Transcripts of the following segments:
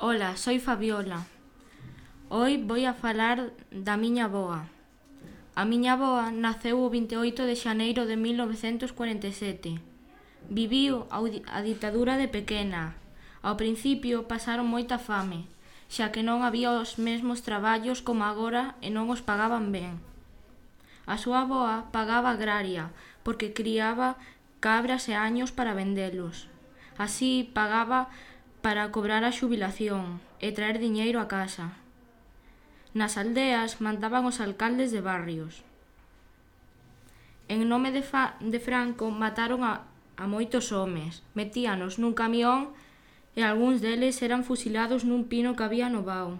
Ola, soy Fabiola. Hoy voy a falar da miña avoa. A miña avoa naceu o 28 de xaneiro de 1947. Viviu a ditadura de pequena. Ao principio pasaron moita fame, xa que non había os mesmos traballos como agora e non os pagaban ben. A súa avoa pagaba agraria porque criaba cabras e años para vendelos. Así pagaba para cobrar a xubilación e traer diñeiro a casa. Nas aldeas mandaban os alcaldes de barrios. En nome de Franco mataron a moitos homes, metíanos nun camión e algúns deles eran fusilados nun pino que había no vao.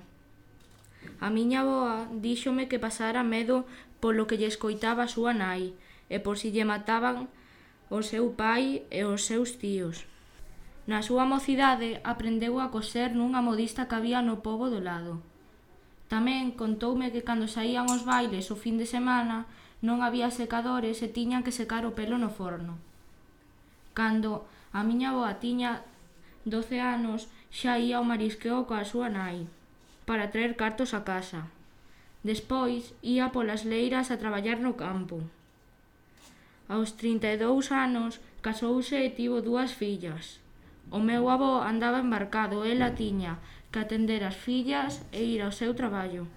A miña avoa díxome que pasara medo polo que lle escoitaba a súa nai e por si lle mataban o seu pai e os seus tíos. Na súa mocidade aprendeu a coser nunha modista que había no pobo do lado. Tamén contoume que cando saían os bailes o fin de semana non había secadores e tiñan que secar o pelo no forno. Cando a miña avoa tiña 12 anos xa ía ao marisqueo coa súa nai para traer cartos a casa. Despois ía polas leiras a traballar no campo. Aos 32 anos casouse e tivo 2 fillas. O meu avó andaba embarcado e ela tiña que atender as fillas e ir ao seu traballo.